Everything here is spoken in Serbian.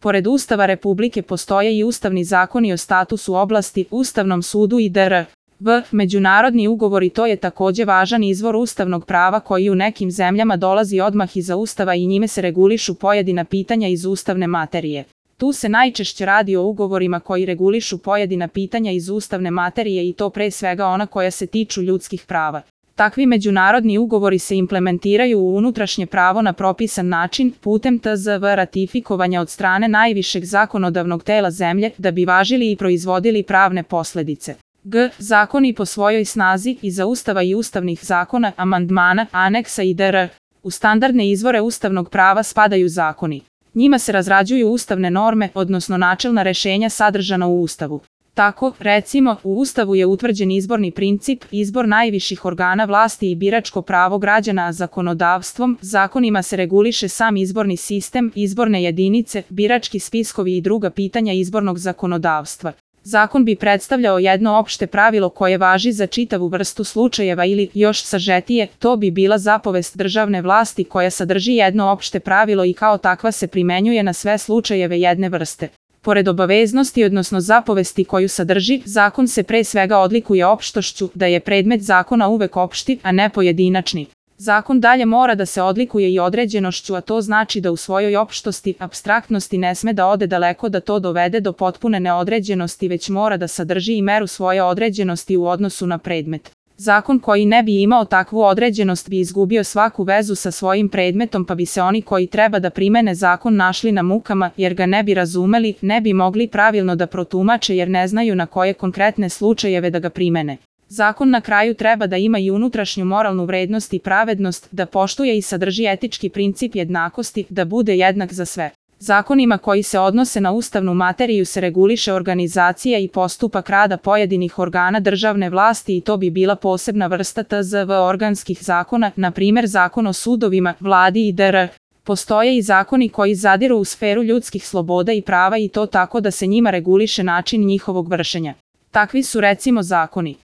Pored Ustava Republike postoje i ustavni zakoni o statusu oblasti, Ustavnom sudu i dr. Međunarodni ugovori. To je takođe važan izvor ustavnog prava koji u nekim zemljama dolazi odmah iza Ustava i njime se regulišu pojedina pitanja iz ustavne materije. Tu se najčešće radi o ugovorima koji regulišu pojedina pitanja iz ustavne materije i to pre svega ona koja se tiču ljudskih prava. Takvi međunarodni ugovori se implementiraju u unutrašnje pravo na propisan način putem tzv. Ratifikovanja od strane najvišeg zakonodavnog tela zemlje da bi važili i proizvodili pravne posledice. Zakoni po svojoj snazi iza Ustava i ustavnih zakona, amandmana, aneksa i dr. U standardne izvore ustavnog prava spadaju zakoni. Njima se razrađuju ustavne norme, odnosno načelna rešenja sadržana u Ustavu. Tako, recimo, u Ustavu je utvrđen izborni princip, izbor najviših organa vlasti i biračko pravo građana, a zakonodavstvom, zakonima se reguliše sam izborni sistem, izborne jedinice, birački spiskovi i druga pitanja izbornog zakonodavstva. Zakon bi predstavljao jedno opšte pravilo koje važi za čitavu vrstu slučajeva ili, još sažetije, to bi bila zapovest državne vlasti koja sadrži jedno opšte pravilo i kao takva se primenjuje na sve slučajeve jedne vrste. Pored obaveznosti, odnosno zapovesti koju sadrži, zakon se pre svega odlikuje opštošću, da je predmet zakona uvek opšti, a ne pojedinačni. Zakon dalje mora da se odlikuje i određenošću, a to znači da u svojoj opštosti, apstraktnosti ne sme da ode daleko da to dovede do potpune neodređenosti, već mora da sadrži i meru svoje određenosti u odnosu na predmet. Zakon koji ne bi imao takvu određenost bi izgubio svaku vezu sa svojim predmetom, pa bi se oni koji treba da primene zakon našli na mukama, jer ga ne bi razumeli, ne bi mogli pravilno da protumače jer ne znaju na koje konkretne slučajeve da ga primene. Zakon na kraju treba da ima i unutrašnju moralnu vrednost i pravednost, da poštuje i sadrži etički princip jednakosti, da bude jednak za sve. Zakonima koji se odnose na ustavnu materiju se reguliše organizacija i postupak rada pojedinih organa državne vlasti i to bi bila posebna vrsta tzv. Organskih zakona, na primer Zakon o sudovima, vladi i dr. Postoje i zakoni koji zadiru u sferu ljudskih sloboda i prava i to tako da se njima reguliše način njihovog vršenja. Takvi su recimo zakoni